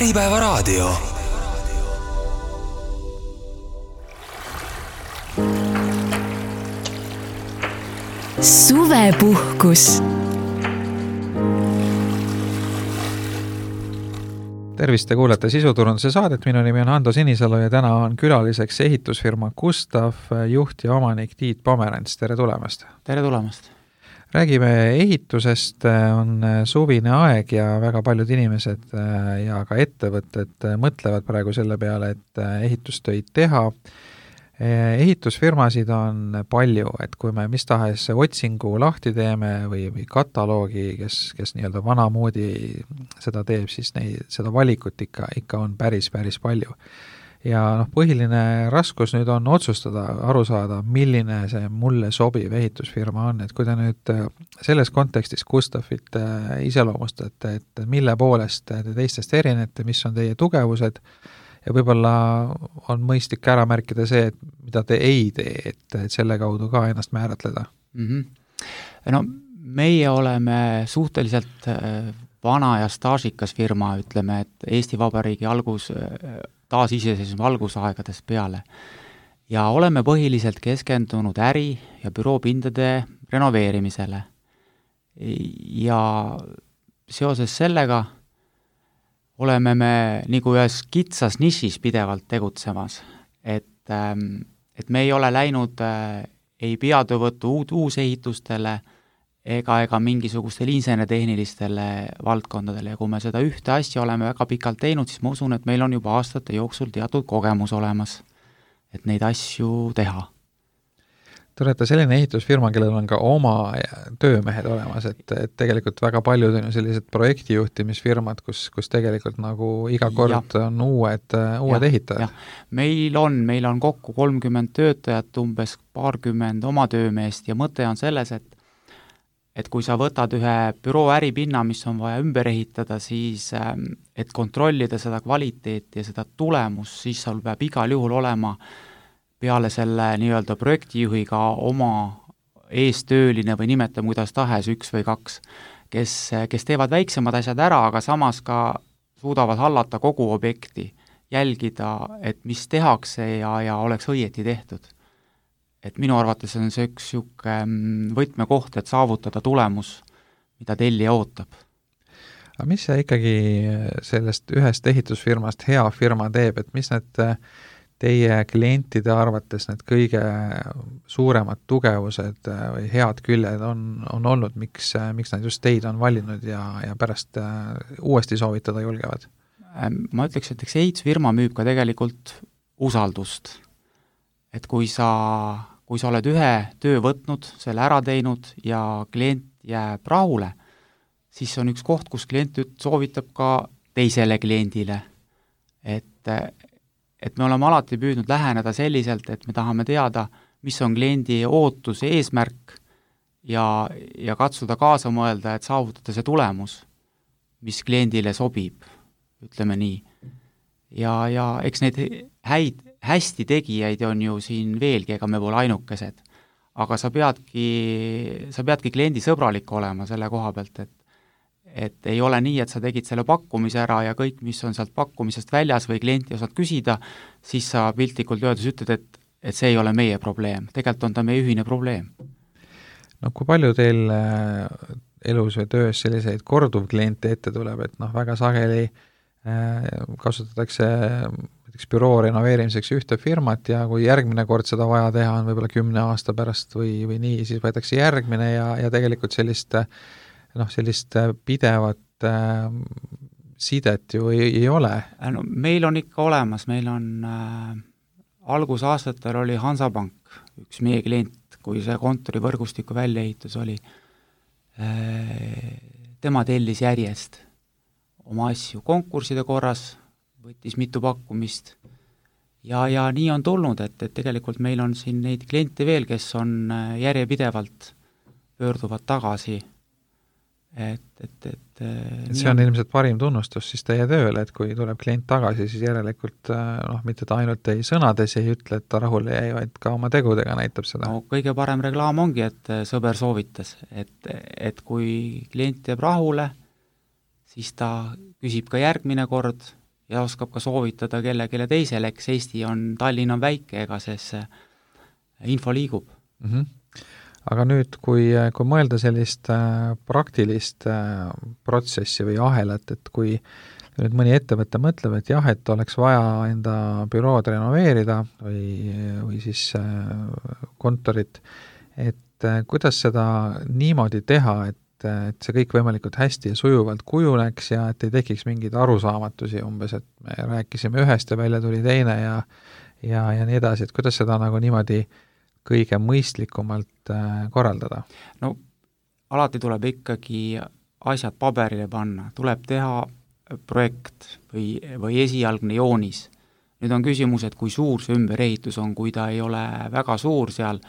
Äripäevaraadio. Suvepuhkus. Tervist, te kuulete Sisuturunduse saadet. Minu nimi on Ando Sinisalu ja täna on külaliseks ehitusfirma Gustav juht ja omanik Tiit Pomerants. Tere tulemast! Tere tulemast! Räägime ehitusest, on suvine aeg ja väga paljud inimesed ja ka ettevõtted mõtlevad praegu selle peale, et ehitustöid teha. Ehitusfirmasid on palju, et kui me mis tahes otsingu lahti teeme või kataloogi, kes nii-öelda vanamoodi seda teeb, siis seda valikut ikka on päris palju. Ja põhiline raskus nüüd on otsustada, aru saada, milline see mulle sobiv ehitusfirma on. Et kui te nüüd selles kontekstis Gustavit iseloomustate, et mille poolest te teistest erinete, mis on teie tugevused, ja võib-olla on mõistlik ära märkida see, et mida te ei tee, et selle kaudu ka ennast määratleda. No meie oleme suhteliselt vana ja staažikas firma, ütleme, et Eesti Vabariigi taasiseseisvumise algusaegadest peale. Ja oleme põhiliselt keskendunud äri- ja büroopindade renoveerimisele. Ja seoses sellega oleme me nagu ühes kitsas nišis pidevalt tegutsemas, et me ei ole läinud ei peatöövõttu uusehitustele ega mingisugustele insenertehnilistele valdkondadele ja kui me seda ühte asja oleme väga pikalt teinud, siis ma usun, et meil on juba aastate jooksul teatud kogemus olemas, et neid asju teha. Te olete selline ehitusfirma, kellel on ka oma töömehed olemas, et tegelikult väga paljud on ju sellised projektijuhtimisfirmad, kus tegelikult nagu iga kord on uued ehitajad. Meil on kokku 30 töötajat, umbes 20 oma töömeest ja mõte on selles, et kui sa võtad ühe büroo äripinna, mis on vaja ümber ehitada, siis et kontrollida seda kvaliteeti ja seda tulemust, siis sul peab igal juhul olema peale selle nii-öelda projektijuhiga oma eestööline või nimetame kuidas tahes 1 või 2, kes teevad väiksemad asjad ära, aga samas ka suudavad hallata kogu objekti, jälgida, et mis tehakse ja oleks õieti tehtud. Et minu arvates on see üks võtmekoht, et saavutada tulemus, mida tellija ootab. Aga mis see ikkagi sellest ühest ehitusfirmast hea firma teeb, et mis need teie klientide arvates need kõige suuremad tugevused või head küljed on olnud, miks nad just teid on valinud ja pärast uuesti soovitada julgevad? Ma ütleks, et ehitusfirma müüb ka tegelikult usaldust. Et kui sa oled ühe töö võtnud, selle ära teinud ja klient jääb rahule, siis on üks koht, kus klient soovitab ka teisele kliendile. Et me oleme alati püüdnud läheneda selliselt, et me tahame teada, mis on kliendi ootus ja eesmärk ja katsuda kaasa mõelda, et saavutada see tulemus, mis kliendile sobib, ütleme nii. Ja eks neid hästi tegijaid on ju siin veelgi, ega me pole ainukesed. Aga sa peadki kliendi sõbralik olema selle koha pealt, et ei ole nii, et sa tegid selle pakkumise ära ja kõik, mis on sealt pakkumisest väljas või klienti osad küsida, siis sa piltlikult öeldes ütled, et see ei ole meie probleem. Tegelikult on ta meie ühine probleem. No kui palju teil elus või töös selliseid korduvkliente ette tuleb, et väga sageli kasutatakse büroo renoveerimiseks ühte firmat ja kui järgmine kord seda vaja teha on võib-olla 10 aasta pärast või nii, siis võetakse järgmine ja tegelikult sellist pidevat sidet ju ei ole. No, meil on ikka olemas, meil on algusaastatel oli Hansapank, üks meie klient, kui see kontorivõrgustiku väljaehitus oli, tema tellis järjest oma asju konkurside korras, võttis mitu pakkumist ja nii on tulnud, et tegelikult meil on siin neid kliente veel, kes on järjepidevalt pöörduvad tagasi. See on ilmselt parim tunnustus siis teie tööle, et kui tuleb klient tagasi, siis järelikult mitte ta ainult ei sõnades ei ütle, et ta rahule jäi, vaid ka oma tegudega näitab seda. No, kõige parem reklaam ongi, et sõber soovitas, et kui klient jääb rahule, siis ta küsib ka järgmine kord ja oskab ka soovitada kellelegi teisele, eks Tallinn on väike, ega see info liigub. Aga nüüd, kui mõelda sellist praktilist protsessi või ahelat, et kui nüüd mõni ettevõte mõtleb, et jah, et oleks vaja enda bürood renoveerida või siis kontorit, et kuidas seda niimoodi teha, et see kõik võimalikult hästi ja sujuvalt kujuneks ja et ei tekiks mingeid arusaamatusi umbes, et me rääkisime ühest ja välja tuli teine ja nii edasi, et kuidas seda nagu niimoodi kõige mõistlikumalt korraldada? No alati tuleb ikkagi asjad paberile panna, tuleb teha projekt või esialgne joonis. Nüüd on küsimus, et kui suur see ümberehitus on, kui ta ei ole väga suur seal,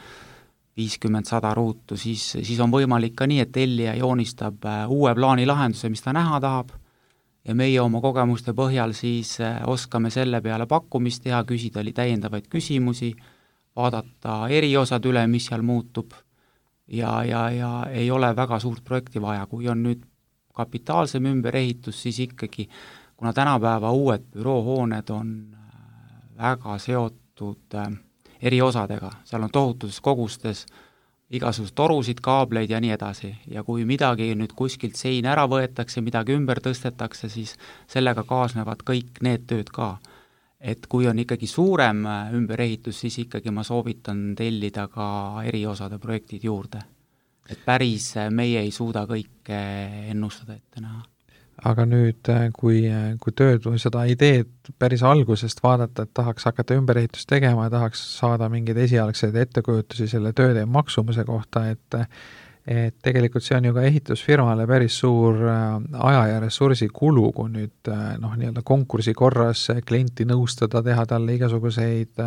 50-100 ruutu, siis on võimalik ka nii, et tellija joonistab uue plaani lahenduse, mis ta näha tahab, ja meie oma kogemuste põhjal siis oskame selle peale pakkumist teha, küsida täiendavaid küsimusi, vaadata eriosad üle, mis seal muutub, ja ei ole väga suurt projekti vaja, kui on nüüd kapitaalsem ümberehitus, siis ikkagi, kuna tänapäeva uued büroohooned on väga seotud eriosadega, seal on tohutus kogustes igasugused torusid, kaableid ja nii edasi, ja kui midagi nüüd kuskilt sein ära võetakse, midagi ümber tõstetakse, siis sellega kaasnevad kõik need tööd ka. Et kui on ikkagi suurem ümberehitus, siis ikkagi ma soovitan tellida ka eriosade projektid juurde. Et päris meie ei suuda kõike ennustada ette näha. Aga nüüd, kui tööd või seda ideed päris algusest vaadata, et tahaks hakata ümberehitust tegema ja tahaks saada mingeid esialgseid ettekujutusi selle tööde maksumuse kohta, et tegelikult see on ju ka ehitusfirmale päris suur aja ja ressursi kulu, kui nüüd nii-öelda konkursi korras klienti nõustada, teha talle igasuguseid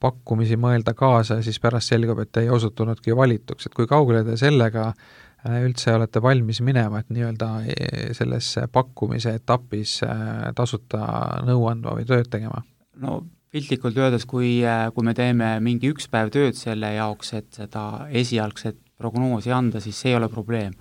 pakkumisi, mõelda kaasa ja siis pärast selgub, et ei osutunudki valituks, et kui kaugele te sellega üldse olete valmis minema, et nii-öelda selles pakkumise etapis tasuta nõu andma või tööd tegema? No piltlikult öeldes, kui me teeme mingi üks päev tööd selle jaoks, et seda esialgset prognoosi anda, siis see ei ole probleem.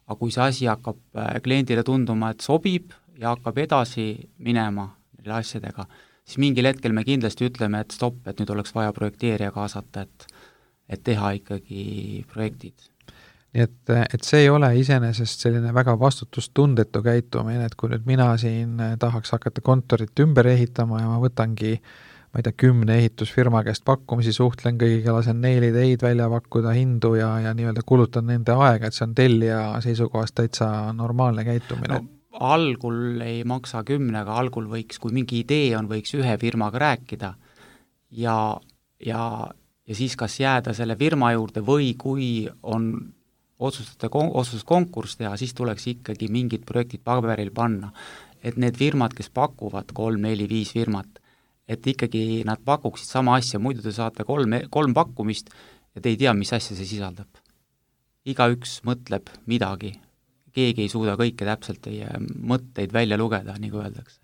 Aga kui see asi hakkab kliendile tunduma, et sobib ja hakkab edasi minema neile asjadega, siis mingil hetkel me kindlasti ütleme, et stopp, et nüüd oleks vaja projekteerija kaasata, et teha ikkagi projektid. Nii et see ei ole iseenesest selline väga vastutustundetu käitumine, et kui nüüd mina siin tahaks hakata kontorit ümber ehitama ja ma võtangi, ma ei tea, 10 ehitusfirma käest pakkumisi, suhtlen kõigiga, lasen neil ideid välja pakkuda, hindu ja nii-öelda kulutan nende aega, et see on tellija seisukohast täitsa normaalne käitumine. No, algul ei maksa 10, aga algul võiks, kui mingi idee on, võiks ühe firmaga rääkida ja siis kas jääda selle firma juurde või kui on otsustuskonkurss teha, siis tuleks ikkagi mingid projektid paberil panna. Et need firmad, kes pakuvad 3, 4, 5 firmat, et ikkagi nad pakuksid sama asja, muidu te saate 3 pakkumist ja te ei tea, mis asja see sisaldab. Igaüks mõtleb midagi, keegi ei suuda kõike täpselt teie mõtteid välja lugeda, nagu öeldakse.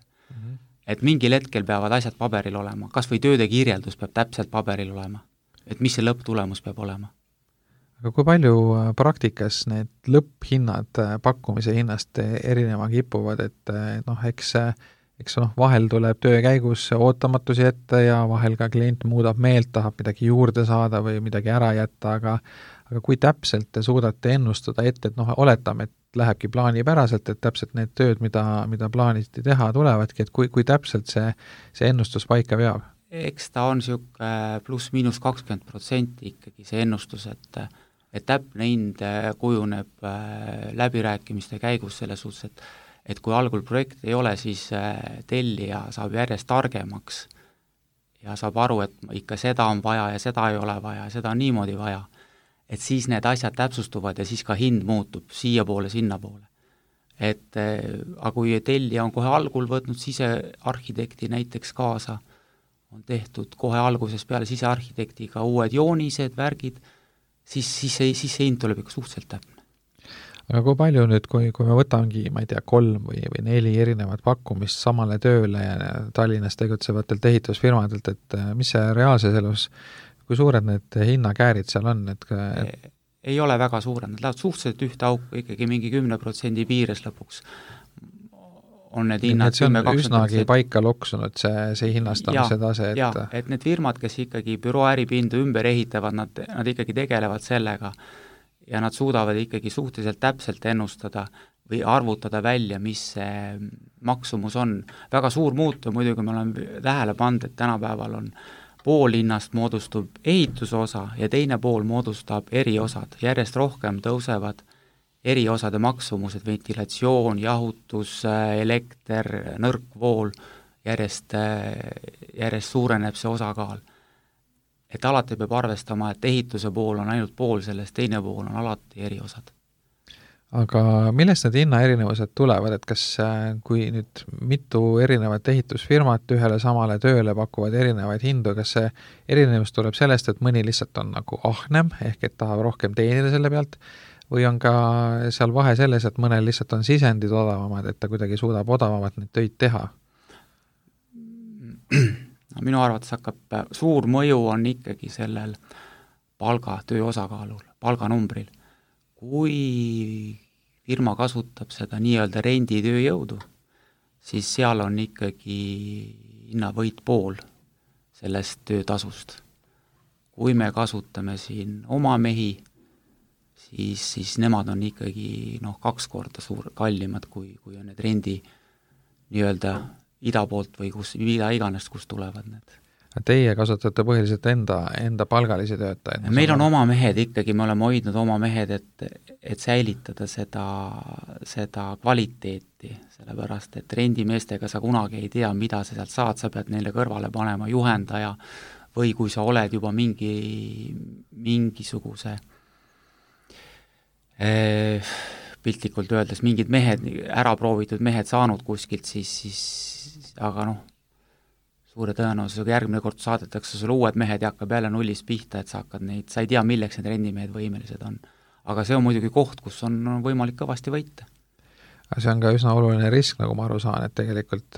Et mingil hetkel peavad asjad paberil olema, kas või tööde kirjeldus peab täpselt paberil olema, et mis see lõpptulemus peab olema. Aga kui palju praktikas need lõpphinnad pakkumise hinnast erinema kipuvad, et eks vahel tuleb töö käigus ootamatusi ette ja vahel ka klient muudab meelt, tahab midagi juurde saada või midagi ära jätta, aga kui täpselt te suudate ennustada ette, et oletame, et lähebki plaanipäraselt, et täpselt need tööd, mida plaaniti teha, tulevadki, et kui täpselt see ennustus paika veab? Eks ta on pluss miinus 20% ikkagi see ennustus, et täpne hind kujuneb läbirääkimiste käigus selles suhtes, et kui algul projekt ei ole, siis tellija saab järjest targemaks ja saab aru, et ikka seda on vaja ja seda ei ole vaja, seda on niimoodi vaja. Et siis need asjad täpsustuvad ja siis ka hind muutub siiapoole, sinnapoole. Aga kui tellija on kohe algul võtnud sisearhitekti näiteks kaasa, on tehtud kohe alguses peale sisearhitektiga uued joonised, värgid, siis see hind tuleb ikka suhteliselt täpne. Aga kui palju nüüd, kui me võtangi, ma ei tea, 3 või 4 erinevat pakkumist samale tööle ja Tallinnas tegutsevatelt ehitusfirmadelt, et mis see reaalses elus, kui suured need hinnakäärid seal on? Ei ole väga suured, nad lähevad suhteliselt ühte auku ikkagi mingi 10% piires lõpuks. on need hinnad see on üsnagi paika loksunud, see hinnastamise tase, et need firmad, kes ikkagi büroo äripindu ümber ehitavad, nad ikkagi tegelevad sellega ja nad suudavad ikkagi suhteliselt täpselt ennustada või arvutada välja, mis see maksumus on. Väga suur muutu muidugi me oleme tähele pannud, et tänapäeval on pool hinnast moodustub ehituse osa ja teine pool moodustab eriosad. Järjest rohkem tõusevad eriosade maksumused, ventilatsioon, jahutus, elekter, nõrkvool, järjest suureneb see osakaal. Et alati peab arvestama, et ehituse pool on ainult pool sellest, teine pool on alati eriosad. Aga millest need hinnaerinevused tulevad, et kas kui nüüd mitu erinevat ehitusfirmat ühele samale tööle pakuvad erinevaid hindu, kas see erinevus tuleb sellest, et mõni lihtsalt on nagu ahnem, ehk et tahab rohkem teenida selle pealt, või on ka seal vahe selles, et mõnel lihtsalt on sisendid odavamad, et ta kuidagi suudab odavamalt neid töid teha? Minu arvates hakkab suur mõju on ikkagi sellel töö osakaalul, palganumbril. Kui firma kasutab seda nii-öelda renditööjõudu, siis seal on ikkagi hinnavõit pool sellest töötasust. Kui me kasutame siin oma mehi, siis nemad on ikkagi 2 korda kallimad, kui on need rendi nii-öelda ida poolt või mida iganes, kus tulevad need. Teie kasutate põhiliselt enda palgalisi töötajaid? Meil on oma mehed ikkagi, me oleme hoidnud oma mehed, et säilitada seda kvaliteeti, sellepärast, et rendimeestega sa kunagi ei tea, mida sa sealt saad, sa pead neile kõrvale panema juhendaja või kui sa oled juba mingisuguse piltlikult öeldes mingid mehed, ära proovitud mehed saanud kuskilt, siis aga suure tõenäosusega järgmine kord saadetakse sulle uued mehed ja hakkab jälle nullist pihta, et sa ei tea, milleks need rendimehed võimelised on. Aga see on muidugi koht, kus on võimalik kõvasti võita. See on ka üsna oluline risk, nagu ma aru saan, et tegelikult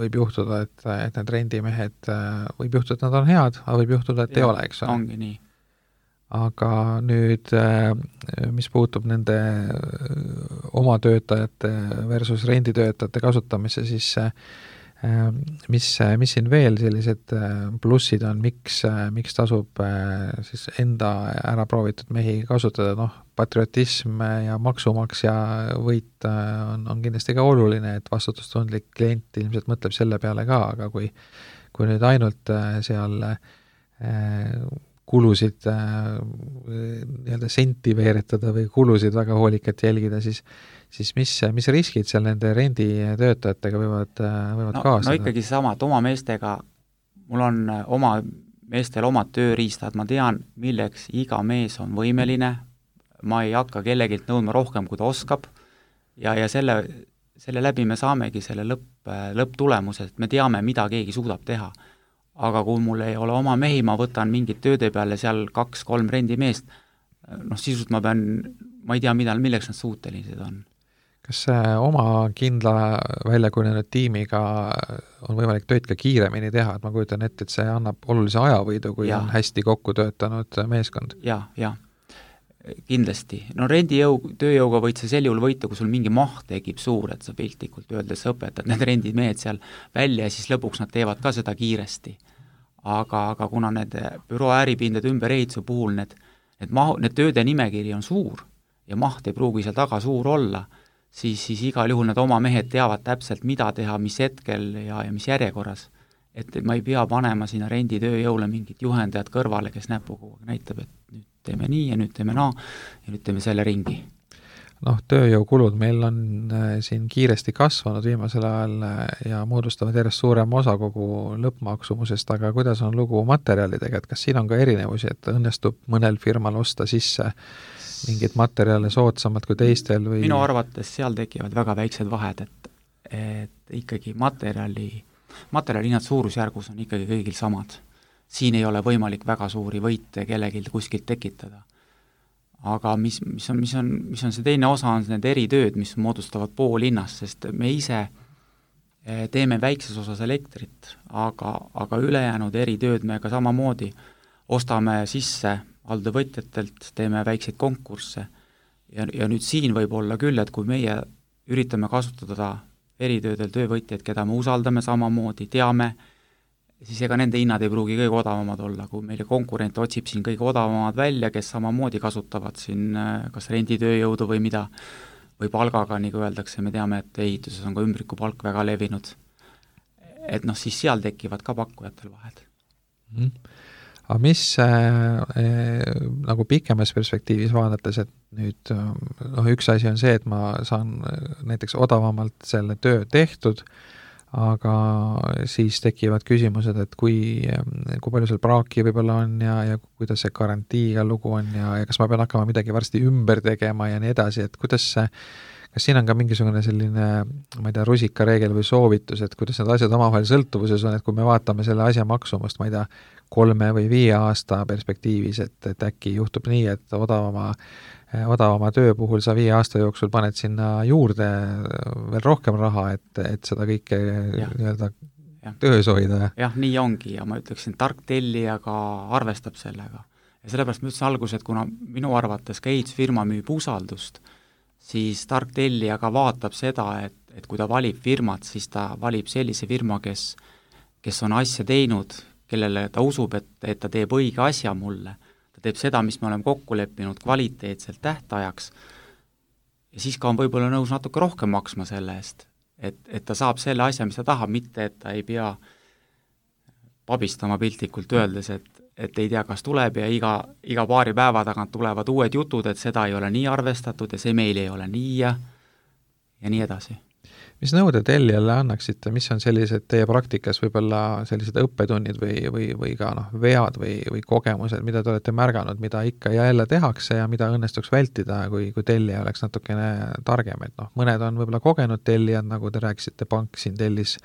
võib juhtuda, et need rendimehed, võib juhtuda, et nad on head, aga võib juhtuda, et ei ole, eks ole. Ongi nii. Aga nüüd, mis puutub nende oma töötajate versus renditöötajate kasutamise, siis mis siin veel sellised plussid on, miks tasub siis enda ära proovitud mehi kasutada, patriotism ja maksumaksja võit on kindlasti ka oluline, et vastutustundlik klient ilmselt mõtleb selle peale ka, aga kui nüüd ainult seal kulusid nii-öelda senti veeretada või kulusid väga hoolikalt jälgida, siis mis riskid seal nende renditöötajatega võivad kaasada? No ikkagi sama, et oma meestega, mul on oma meestel omad tööriistad, ma tean, milleks iga mees on võimeline, ma ei hakka kellegilt nõudma rohkem, kui ta oskab, ja selle läbi me saamegi selle lõpptulemuse, et me teame, mida keegi suudab teha. Aga kui mul ei ole oma mehi, ma võtan mingid tööde peale seal 2-3 rendimeest, sisult ma ei tea, milleks nad suutelised on. Kas oma kindla väljakujunenud tiimiga on võimalik tööd ka kiiremini teha, et ma kujutan ette, et see annab olulise ajavõidu, kui on hästi kokku töötanud meeskond? Ja, kindlasti. Tööjõuga võid sa sel juhul võita, kui sul mingi maht tekib suur, et sa piltlikult öeldes õpetad need rendimehed seal välja ja siis lõpuks nad teevad ka seda kiiresti. Aga kuna need büroo äripindade ümberehituse puhul need tööde nimekiri on suur ja maht ei pruugi seal taga suur olla, siis igal juhul need oma mehed teavad täpselt, mida teha, mis hetkel ja mis järjekorras. Et ma ei pea panema sinna renditööjõule mingit juhendajat kõrvale, kes näpuga näitab, et nüüd teeme nii ja nüüd teeme naa ja nüüd teeme selle ringi. Tööjõukulud meil on siin kiiresti kasvanud viimasel ajal ja moodustavad järjest suurema osa kogu lõppmaksumusest, aga kuidas on lugu materjalidega, et kas siin on ka erinevusi, et õnnestub mõnel firmal osta sisse mingid materjale soodsamad kui teistel või? Minu arvates seal tekivad väga väiksed vahed, et ikkagi materjalihinnad suurusjärgus on ikkagi kõigil samad. Siin ei ole võimalik väga suuri võite kellelgi kuskilt tekitada. Aga mis on see teine osa, on need eritööd, mis moodustavad pool hinnast, sest me ise teeme väikses osas elektrit, aga ülejäänud eritööd me ka samamoodi ostame sisse alltöövõtjatelt, teeme väikseid konkursse ja nüüd siin võib olla küll, et kui meie üritame kasutada eritöödel töövõtjaid, keda me usaldame samamoodi, teame, siis ega nende hinnad ei pruugi kõige odavamad olla, kui meile konkurent otsib siin kõige odavamad välja, kes samamoodi kasutavad siin kas renditööjõudu või mida, või palgaga, nagu öeldakse, me teame, et ehituses on ka ümbrikupalk väga levinud. Et noh, siis seal tekivad ka pakkujatel vahed. Aga mis nagu pikemas perspektiivis vaadates, et nüüd üks asi on see, et ma saan näiteks odavamalt selle töö tehtud, aga siis tekivad küsimused, et kui palju seal praaki võib-olla on ja kuidas see garantiiga lugu on ja kas ma pean hakkama midagi varsti ümber tegema ja nii edasi, et kas siin on ka mingisugune selline, ma ei tea, rusikareegel või soovitus, et kuidas need asjad omavahel sõltuvuses on, et kui me vaatame selle asja maksumust, ma ei tea, 3 või 5 aasta perspektiivis, et äkki juhtub nii, et odavama töö puhul sa 5 aasta jooksul paned sinna juurde veel rohkem raha, et seda kõike nii-öelda töös hoida. Jah, nii ongi ja ma ütleksin, tark tellija ka arvestab sellega. Ja sellepärast ma ütlesin alguses, et kuna minu arvates ka ehitusfirma müüb usaldust, siis tark tellija ka vaatab seda, et kui ta valib firmat, siis ta valib sellise firma, kes on asja teinud, kellele ta usub, et ta teeb õige asja mulle. Ta teeb seda, mis me oleme kokku leppinud kvaliteetselt tähtajaks ja siis ka on võib-olla nõus natuke rohkem maksma selle eest, et ta saab selle asja, mis ta tahab, mitte et ta ei pea pabistama piltlikult öeldes, et ei tea, kas tuleb ja iga paari päeva tagant tulevad uued jutud, et seda ei ole nii arvestatud ja see meil ei ole nii ja nii edasi. Mis nõude tellijale annaksite, mis on sellised teie praktikas võib-olla sellised õppetunnid või ka vead või kogemused, mida te olete märganud, mida ikka ja jälle tehakse ja mida õnnestuks vältida, kui tellija oleks natukene targem, et mõned on võib-olla kogenud tellijad, nagu te rääkisite, pank siin tellis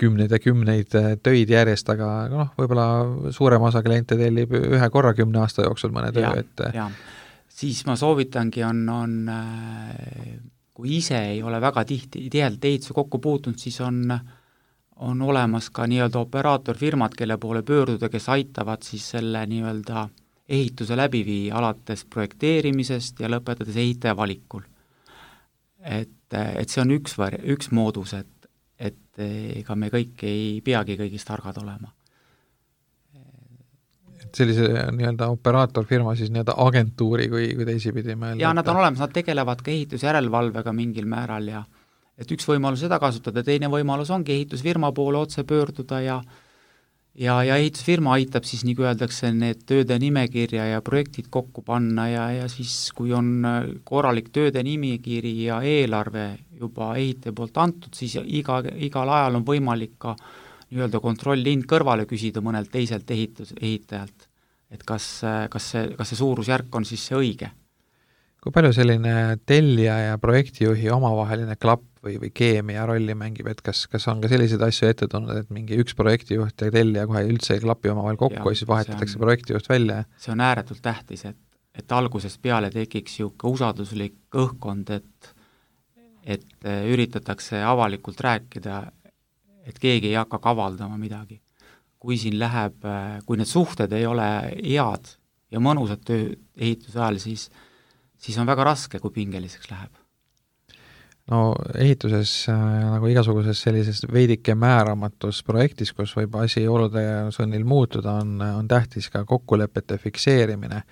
kümneid ja kümneid töid järjest, aga võib-olla suurem osa kliente tellib ühe korra 10 aasta jooksul mõne töö, et siis ma soovitangi kui ise ei ole väga tihedalt ehituse kokku puutunud, siis on olemas ka nii-öelda operaatorfirmad, kelle poole pöörduda, kes aitavad siis selle nii-öelda ehituse läbi viia alates projekteerimisest ja lõpetades ehitaja valikul. Et see on üks moodus, et ega me kõik ei peagi kõigist targad olema. Sellise nii-öelda operaatorfirma siis nii-öelda agentuuri, kui teisipidi mõelda. Ja nad on olemas, nad tegelevad ka ehitusjärelevalvega mingil määral ja et üks võimalus seda kasutada, teine võimalus ongi ehitusfirma poole otse pöörduda ja ehitusfirma aitab siis, nagu öeldakse, need tööde nimekirja ja projektid kokku panna ja siis, kui on korralik tööde nimekiri ja eelarve juba ehitaja poolt antud, siis igal ajal on võimalik ka nii-öelda kontrollhind kõrvale küsida mõnelt teiselt ehitajalt, et kas see suurusjärk on siis see õige. Kui palju selline tellija ja projektijuhi omavaheline klapp või keemia rolli mängib, et kas on ka selliseid asju ette tulnud, et mingi üks projektijuht ja tellija kohe üldse ei klapi omavahel kokku ja siis vahetatakse projektijuht välja? See on ääretult tähtis, et algusest peale tekiks siuke usalduslik õhkkond, et üritatakse avalikult rääkida, et keegi ei hakka kavaldama midagi. Kui siin kui need suhted ei ole head ja mõnusad töö ehituse ajal, siis on väga raske, kui pingeliseks läheb. No ehituses nagu igasuguses sellises veidike määramatus projektis, kus võib asi olude sunnil muutuda, on tähtis ka kokkulepete fikseerimine.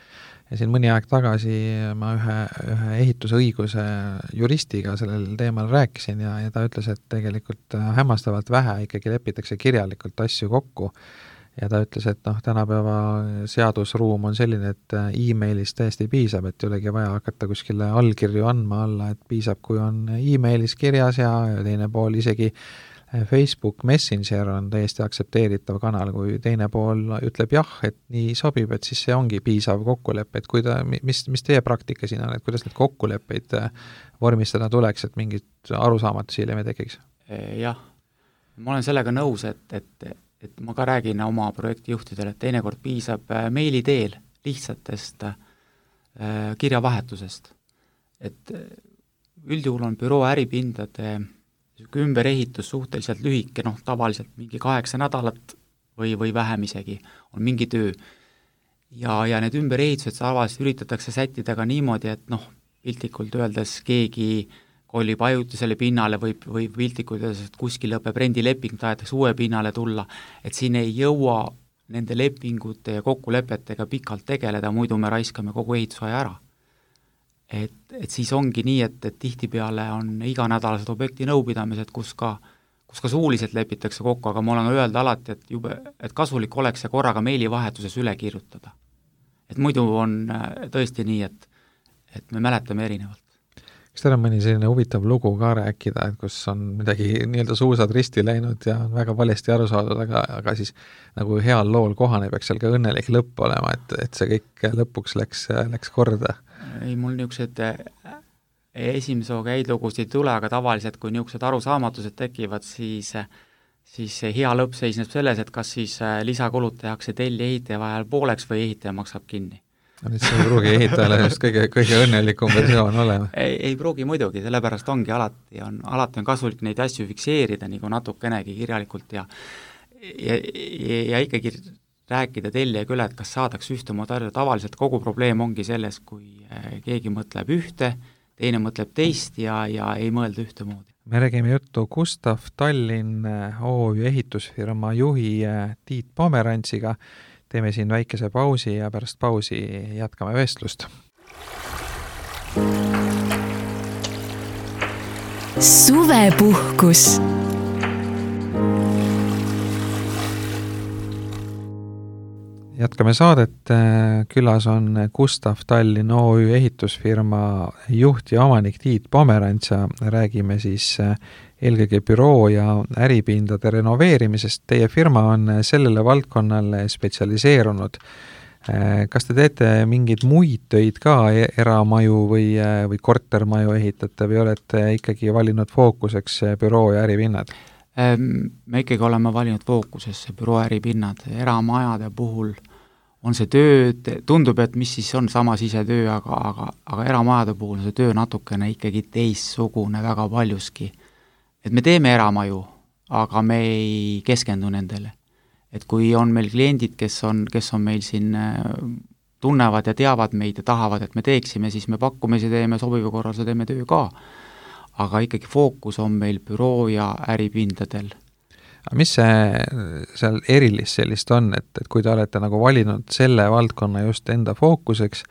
Ja siin mõni aeg tagasi ma ühe ehitusõiguse juristiga sellel teemal rääkisin ja ta ütles, et tegelikult hämmastavalt vähe ikkagi lepitakse kirjalikult asju kokku ja ta ütles, et tänapäeva seadusruum on selline, et e-mailis täiesti piisab, et ei olegi vaja hakata kuskile allkirju andma alla, et piisab, kui on e-mailis kirjas ja teine pool isegi Facebook Messenger on täiesti aktsepteeritav kanal, kui teine pool ütleb jah, et nii sobib, et siis see ongi piisav kokkulepe, et mis teie praktika siin on, et kuidas need kokkuleppeid vormistada tuleks, et mingit arusaamatusi hiljem ei tekiks? Jah, ma olen sellega nõus, et ma ka räägin oma projektijuhtidele, et teinekord piisab meili teel lihtsatest kirjavahetusest. Et üldjuhul on büroo äripindade ümberehitus suhteliselt lühike, tavaliselt mingi 8 nädalat või vähem isegi on mingi töö. Ja need ümberehitused tavaliselt üritatakse sättida ka niimoodi, et piltlikult öeldes keegi kolib ajutisele pinnale või piltlikult öeldes, et kuskil lõpeb rendileping, tahetakse uue pinnale tulla, et siin ei jõua nende lepingute ja kokkulepetega pikalt tegeleda, muidu me raiskame kogu ehitusaja ära. Et siis ongi nii, et tihtipeale on iganädalased objekti nõupidamised, kus ka suuliselt lepitakse kokku, aga ma olen öelda alati, et kasulik oleks see korraga meilivahetuses üle kirjutada. Et muidu on tõesti nii, et me mäletame erinevalt. Kas teil on mõni selline huvitav lugu ka rääkida, et kus on midagi nii-öelda suusad risti läinud ja on väga valesti aru saadud, aga siis nagu heal lool kohane peaks seal ka õnnelik lõpp olema, et see kõik lõpuks läks korda? Ei, mul niisugused esimese hooga häid lugusid ei tule, aga tavaliselt, kui niisugused arusaamatused tekivad, siis hea lõpp seisneb selles, et kas siis lisakulud tehakse telli ehitaja vahel pooleks või ehitaja maksab kinni. Nüüd see ei pruugi ehitajale just kõige õnnelikum versioon olema. Ei pruugi muidugi, sellepärast ongi alati on kasulik neid asju fikseerida nagu natukenegi kirjalikult ja ikkagi rääkida tellijaga üle, et kas saadaks ühtemoodi aru, tavaliselt kogu probleem ongi selles, kui keegi mõtleb ühte, teine mõtleb teist ja ei mõelda ühtemoodi. Me räägime juttu Gustav Tallinn OÜ ehitusfirma juhi Tiit Pomerantsiga. Teeme siin väikese pausi ja pärast pausi jätkame vestlust. Suvepuhkus. Jätkame saadet, külas on Gustav Tallinn OÜ ehitusfirma juht ja omanik Tiit Pomerants ja räägime siis eelkõige büroo ja äripindade renoveerimisest. Teie firma on sellele valdkonnale spetsialiseerunud. Kas te teete mingeid muid töid ka, eramaju või kortermaju ehitate või olete ikkagi valinud fookuseks büroo ja äripinnad? Me ikkagi oleme valinud fookusesse büroo äripinnad. Eramajade puhul on see töö, tundub, et mis siis on sama sisetöö, aga eramajade puhul on see töö natukene ikkagi teistsugune väga paljuski. Et me teeme eramaju, aga me ei keskendu nendele. Et kui on meil kliendid, kes on meil siin tunnevad ja teavad meid ja tahavad, et me teeksime, siis me pakkumisi teeme, sobiva korral see teeme töö ka. Aga ikkagi fookus on meil büroo ja äripindadel. Mis see seal erilist sellist on, et kui te olete nagu valinud selle valdkonna just enda fookuseks,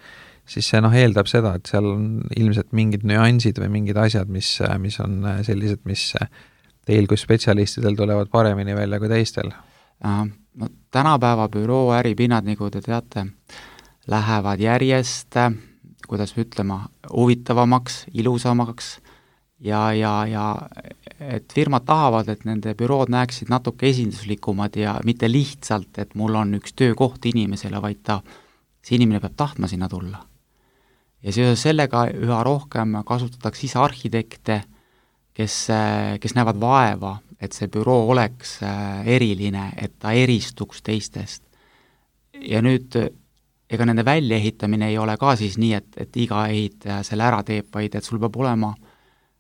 siis see eeldab seda, et seal on ilmselt mingid nüansid või mingid asjad, mis on sellised, mis teil kui spetsialistidel tulevad paremini välja kui teistel? No, tänapäeva büroo äripinnad, nagu te teate, lähevad järjest, kuidas ütlema, huvitavamaks, ilusamaks ja et firmad tahavad, et nende bürood näeksid natuke esinduslikumad ja mitte lihtsalt, et mul on üks töökoht inimesele, vaid see inimene peab tahtma sinna tulla. Ja seoses sellega üha rohkem kasutatakse ise arhitekte, kes näevad vaeva, et see büroo oleks eriline, et ta eristuks teistest. Ja nüüd ega nende väljaehitamine ei ole ka siis nii, et iga ehitaja selle ära teeb, vaid et sul peab olema,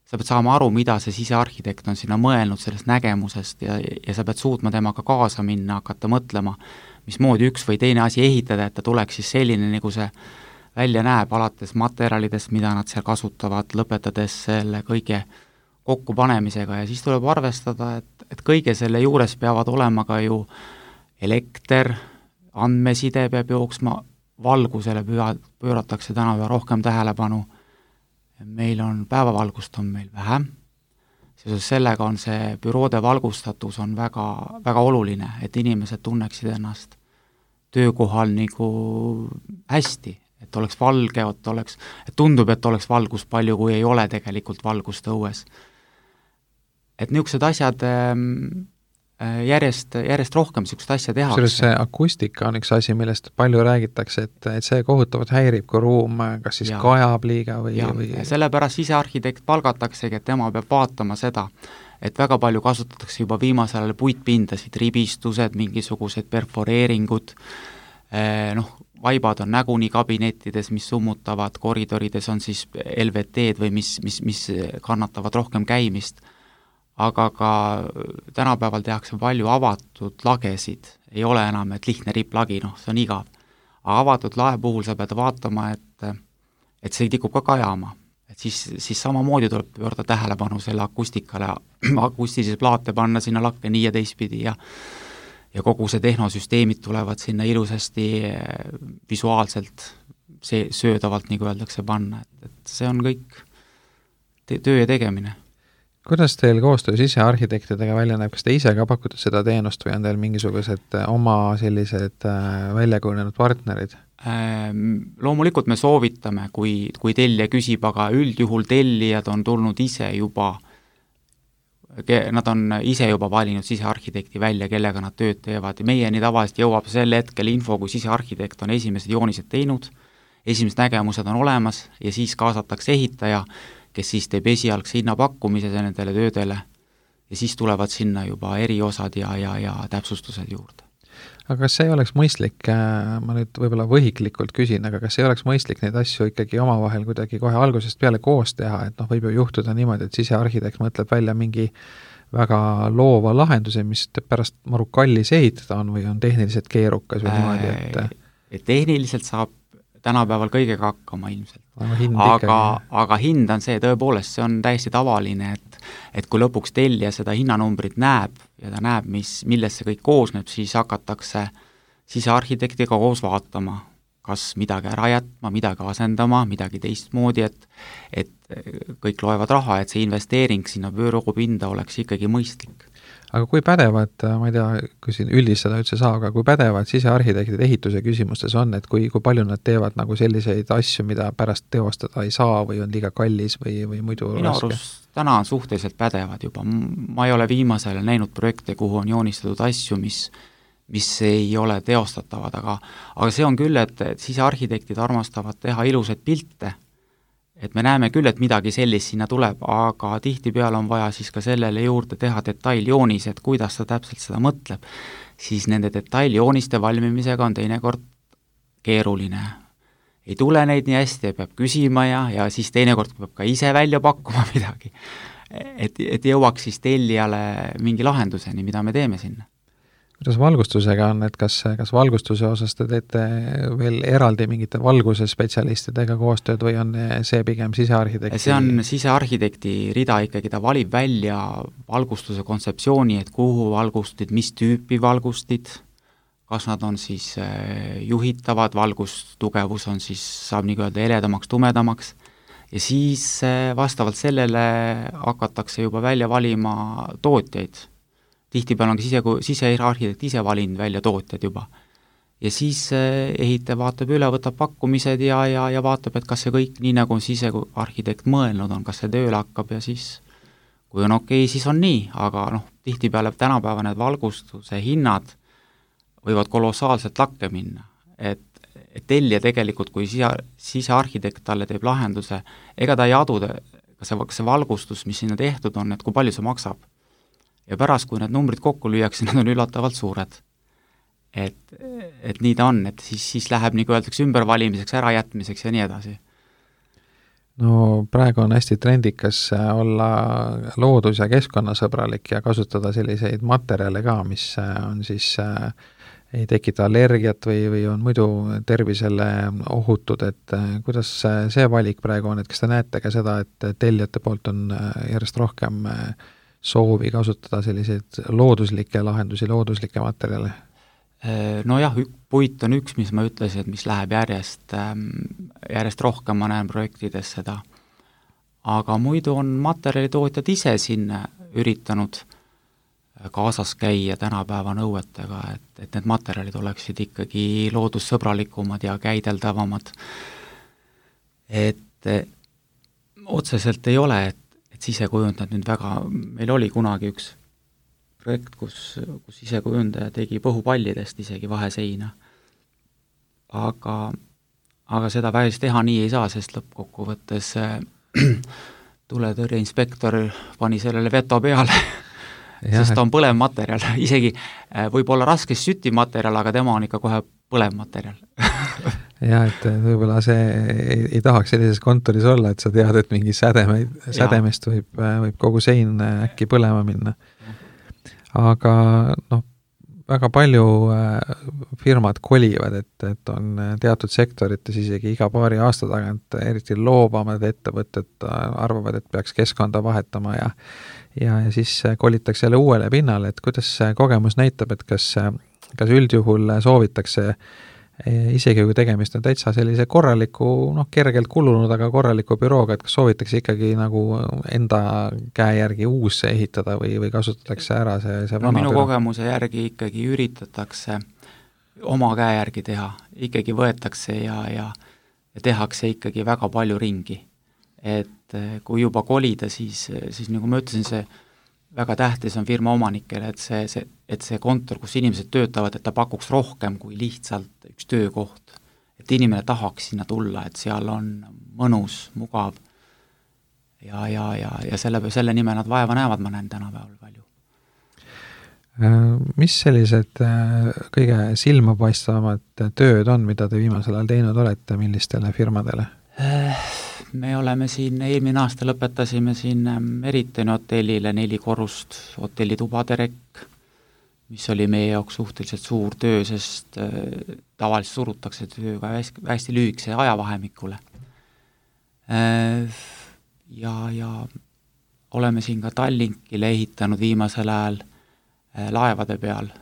sa pead saama aru, mida see sisearhitekt on sinna mõelnud sellest nägemusest ja sa pead suutma temaga kaasa minna, hakata mõtlema, mismoodi üks või teine asi ehitada, et ta tuleks siis selline, nagu see välja näeb, alates materjalidest, mida nad seal kasutavad, lõpetades selle kõige kokkupanemisega ja siis tuleb arvestada, et kõige selle juures peavad olema ka ju elekter, andmeside peab jooksma, valgusele pööratakse täna üha rohkem tähelepanu. Meil on päevavalgust on meil vähe, seoses sellega on see büroode valgustatus on väga, väga oluline, et inimesed tunneksid ennast töökohal nagu hästi, et oleks valge, et tundub, et oleks valgus palju, kui ei ole tegelikult valgust õues. Et niisugused asjad järjest rohkem niisugust asja tehakse. See akustika on üks asi, millest palju räägitakse, et see kohutavalt häirib, kui ruum kas siis kajab liiga või... Ja sellepärast sisearhitekt palgataksegi, et tema peab vaatama seda, et väga palju kasutatakse juba viimasel ajal puitpindasid, ribistused, mingisugused perforeeringud, vaibad on näguni kabinettides, mis summutavad, koridorides on siis LVT-d või mis kannatavad rohkem käimist, aga ka tänapäeval tehakse palju avatud lagesid, ei ole enam, et lihtne ripplagi, see on igav. Aga avatud lae puhul sa pead vaatama, et see tikub ka kajama, et siis samamoodi tuleb pöörda tähelepanu selle akustikale, akustilisi plaate panna sinna lakke nii ja teistpidi ja kogu see tehnosüsteemid tulevad sinna ilusasti visuaalselt söödavalt, nagu öeldakse, panna, et see on kõik töö ja tegemine. Kuidas teil koostöö sisearhitektidega välja näeb, kas te ise ka pakute seda teenust või on teil mingisugused oma sellised väljakujunenud partnerid? Loomulikult me soovitame, kui tellija küsib, aga üldjuhul tellijad on tulnud ise juba, nad on ise juba valinud sisearhitekti välja, kellega nad tööd teevad ja meieni tavaliselt jõuab sel hetkel info, kui sisearhitekt on esimesed joonised teinud, esimesed nägemused on olemas ja siis kaasatakse ehitaja, kes siis teeb esialgse hinnapakkumise nendele töödele ja siis tulevad sinna juba eriosad ja täpsustused juurde. Aga kas see ei oleks mõistlik, ma nüüd võib-olla võhiklikult küsin, aga kas ei oleks mõistlik neid asju ikkagi omavahel kuidagi kohe algusest peale koos teha, et võib ju juhtuda niimoodi, et sisearhitekt mõtleb välja mingi väga loova lahenduse, mis pärast maru kallis ehitada on või on tehniliselt keerukas või niimoodi, et tehniliselt saab tänapäeval kõigega hakkama ilmselt. Aga hind on see, tõepoolest, see on täiesti tavaline, et kui lõpuks tellija seda hinnanumbrit näeb ja ta näeb, millest see kõik koosneb, siis hakatakse sisearhitektiga koos vaatama, kas midagi ära jätma, midagi asendama, midagi teistmoodi, et kõik loevad raha, et see investeering sinna büroopinda oleks ikkagi mõistlik. Aga kui pädevad, ma ei tea, kui siin üldistada üldse saa, aga kui pädevad sisearhitektid ehituse küsimustes on, et kui palju nad teevad nagu selliseid asju, mida pärast teostada ei saa või on liiga kallis või muidu minu arust täna on suhteliselt pädevad juba. Ma ei ole viimasel näinud projekte, kuhu on joonistatud asju, mis ei ole teostatavad, aga see on küll, et sisearhitektid armastavad teha ilusaid pilte, et me näeme küll, et midagi sellist sinna tuleb, aga tihtipeale on vaja siis ka sellele juurde teha detailjoonis, et kuidas ta täpselt seda mõtleb, siis nende detailjooniste valmimisega on teinekord keeruline. Ei tule neid nii hästi, peab küsima ja siis teinekord peab ka ise välja pakkuma midagi, et jõuaks siis tellijale mingi lahenduseni, mida me teeme sinna. Kuidas valgustusega on, et kas valgustuse osas te teete veel eraldi mingite valguse spetsialistidega koostööd või on see pigem sisearhitekti? See on sisearhitekti rida ikkagi, ta valib välja valgustuse kontseptsiooni, et kuhu valgustid, mis tüüpi valgustid, kas nad on siis juhitavad, valgustugevus on siis, saab nii öelda heledamaks, tumedamaks ja siis vastavalt sellele hakatakse juba välja valima tootjaid. Tihtipeale on sisearhitekt ise valinud välja tootjad juba. Ja siis ehitaja vaatab üle, võtab pakkumised ja vaatab, et kas see kõik nii, nagu sisearhitekt mõelnud on, kas see tööle hakkab ja siis, kui on okei, siis on nii, aga tihtipeale tänapäeva need valgustuse hinnad võivad kolossaalselt lakke minna. Et tellija tegelikult, kui sisearhitekt talle teeb lahenduse, ega ta ei adu, kas see valgustus, mis sinna tehtud on, et kui palju see maksab. Ja pärast, kui need numbrid kokku lüüakse, nad on üllatavalt suured. Et nii ta on, et siis läheb, nagu öeldakse, ümbervalimiseks, ärajätmiseks ja nii edasi. No praegu on hästi trendikas olla loodus- ja keskkonnasõbralik ja kasutada selliseid materjale ka, mis on siis ei tekita allergiat või on muidu tervisele ohutud, et kuidas see valik praegu on, et kas te näete ka seda, et tellijate poolt on järjest rohkem soovi kasutada selliseid looduslikke lahendusi, looduslikke materjale? Nojah, puit on üks, mis ma ütlesin, et mis läheb järjest rohkem, ma näen projektides seda. Aga muidu on materjalitootjad ise sinna üritanud kaasas käia tänapäeva nõuetega, et need materjalid oleksid ikkagi loodussõbralikumad ja käideldavamad. Et otseselt ei ole, et sisekujundajad nüüd väga, meil oli kunagi üks projekt, kus sisekujundaja tegi põhupallidest isegi vaheseina. Aga seda päris teha nii ei saa, sest lõppkokkuvõttes tuletõrjeinspektor pani sellele veto peale, sest ta on põlev materjal. Isegi võib olla raskes sütimaterjal, aga tema on ikka kohe põlev materjal. Jah, et võib-olla see ei tahaks sellises kontoris olla, et sa tead, et mingi sädemest võib kogu sein äkki põlema minna. Aga väga palju firmad kolivad, et on teatud sektorites isegi iga paari aasta tagant eriti loobamad ettevõtted arvavad, et peaks keskkonda vahetama ja siis kolitakse jälle uuele pinnale, et kuidas see kogemus näitab, et kas üldjuhul soovitakse isegi kui tegemist on täitsa sellise korraliku, kergelt kulunud, aga korraliku bürooga, et kas soovitakse ikkagi nagu enda käe järgi uus ehitada või kasutatakse ära see vana minu büroo? kogemuse järgi ikkagi üritatakse oma käe järgi teha, ikkagi võetakse ja tehakse ikkagi väga palju ringi. Et kui juba kolida, siis nagu ma ütlesin, see väga tähtis on firma omanikele, et see kontor, kus inimesed töötavad, et ta pakuks rohkem kui lihtsalt üks töökoht. Et inimene tahaks sinna tulla, et seal on mõnus, mugav ja selle nimel nad vaeva näevad, ma näen tänapäeval palju. Mis sellised kõige silmapaistvamad tööd on, mida te viimasel ajal teinud olete, millistele firmadele? Me oleme siin, eelmine aasta lõpetasime siin Meritoni hotellile 4 korrust hotelli tubaderekk, mis oli meie jaoks suhteliselt suur töö, sest tavaliselt surutakse tööga hästi lühikese ajavahemikule. Ja oleme siin ka Tallinkile ehitanud viimasel ajal laevade peal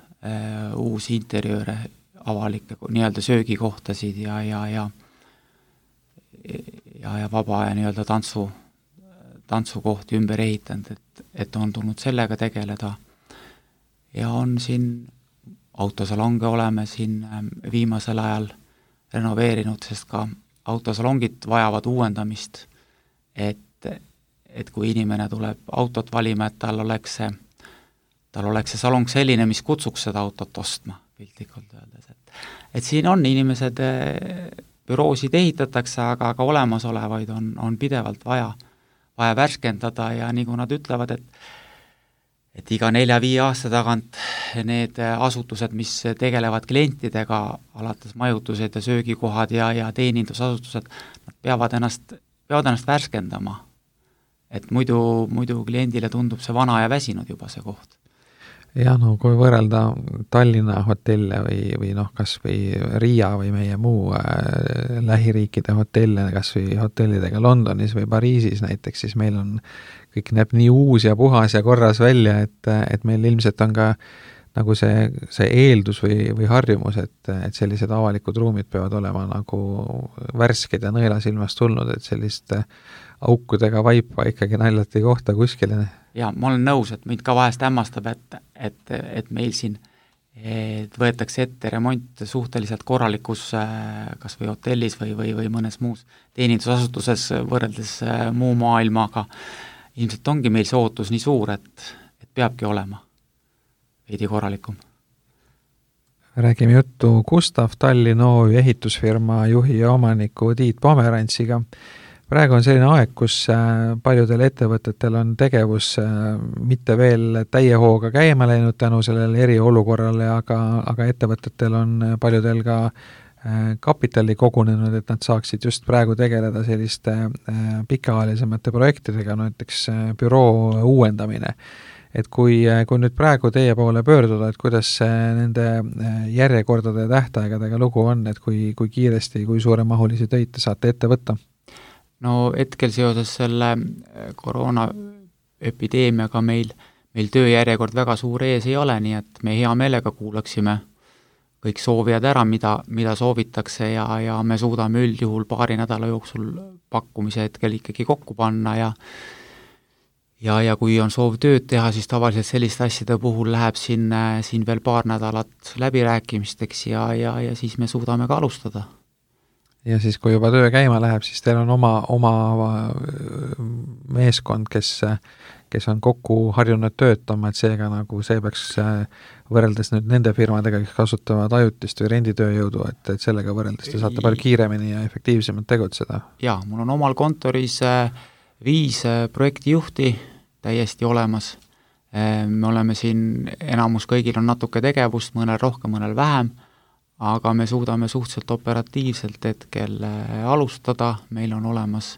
uusi interjööre, avalikke nii-öelda söögikohtasid ja vaba ja nii-öelda tantsukohti ümber ehitanud, et on tulnud sellega tegeleda. Ja on siin autosalonge oleme siin viimasel ajal renoveerinud, sest ka autosalongid vajavad uuendamist, et kui inimene tuleb autot valima, et tal oleks see salong selline, mis kutsuks seda autot ostma, piltlikult öeldes. Et siin on inimesed, büroosid ehitatakse, aga ka olemasolevaid on pidevalt vaja värskendada ja nagu nad ütlevad, et iga 4-5 aasta tagant need asutused, mis tegelevad klientidega, alates majutused ja söögikohad ja teenindusasutused, nad peavad ennast värskendama. Et muidu kliendile tundub see vana ja väsinud juba see koht. Ja kui võrrelda Tallinna hotelle või kas või Riia või meie muu lähiriikide hotelle, kas või hotellidega Londonis või Pariisis näiteks, siis meil on kõik näeb nii uus ja puhas ja korras välja, et meil ilmselt on ka nagu see eeldus või harjumus, et sellised avalikud ruumid peavad olema nagu värsked ja nõelasilmast tulnud, et sellist aukudega vaipa ikkagi naljati kohta kuskile. Ja ma olen nõus, et mind ka vahest hämmastab, et meil siin võetakse ette remont suhteliselt korralikus kas või hotellis või mõnes muus teenindusasutuses võrreldes muu maailmaga. Ilmselt ongi meil see ootus nii suur, et peabki olema veidi korralikum. Räägime juttu Gustav Tallinn OÜ ehitusfirma juhi ja omaniku Tiit Pomerantsiga. Praegu on selline aeg, kus paljudel ettevõtetel on tegevus mitte veel täie hooga käima läinud tänu sellele eriolukorrale, aga ettevõtetel on paljudel ka kapitali kogunenud, et nad saaksid just praegu tegeleda selliste pikaajalisemate projektidega, näiteks büroo uuendamine. Et kui nüüd praegu teie poole pöörduda, et kuidas nende järjekordade ja tähtaegadega lugu on, et kui kiiresti, kui suuremahulisi töid te saate ette võtta? No hetkel seoses selle koroonaepideemiaga meil tööjärjekord väga suur ees ei ole, nii et me hea meelega kuulaksime kõik soovijad ära, mida soovitakse ja me suudame üldjuhul 2 nädala jooksul pakkumise hetkel ikkagi kokku panna ja kui on soov tööd teha, siis tavaliselt selliste asjade puhul läheb siin veel 2 nädalat läbirääkimisteks ja siis me suudame ka alustada. Ja siis, kui juba töö käima läheb, siis teil on oma meeskond, kes on kokku harjunud töötama, et seega nagu see peaks võrreldes nüüd nende firmadega, kes kasutavad ajutist või renditööjõudu, et sellega võrreldes te saate palju kiiremini ja efektiivsemalt tegutseda. Jaa, mul on omal kontoris 5 projektijuhti täiesti olemas. Me oleme siin, enamus kõigil on natuke tegevust, mõnel rohkem, mõnel vähem, aga me suudame suhteliselt operatiivselt hetkel alustada, meil on olemas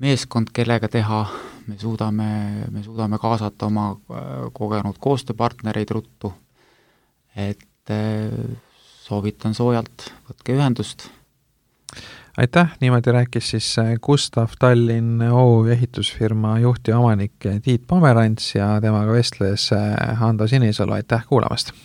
meeskond, kellega teha, me suudame kaasata oma kogenud koostööpartnereid ruttu, et soovitan soojalt, võtke ühendust. Aitäh, niimoodi rääkis siis Gustav Tallinn OÜ ehitusfirma juht ja omanik Tiit Pomerants ja temaga vestles Hando Sinisalu, aitäh kuulamast!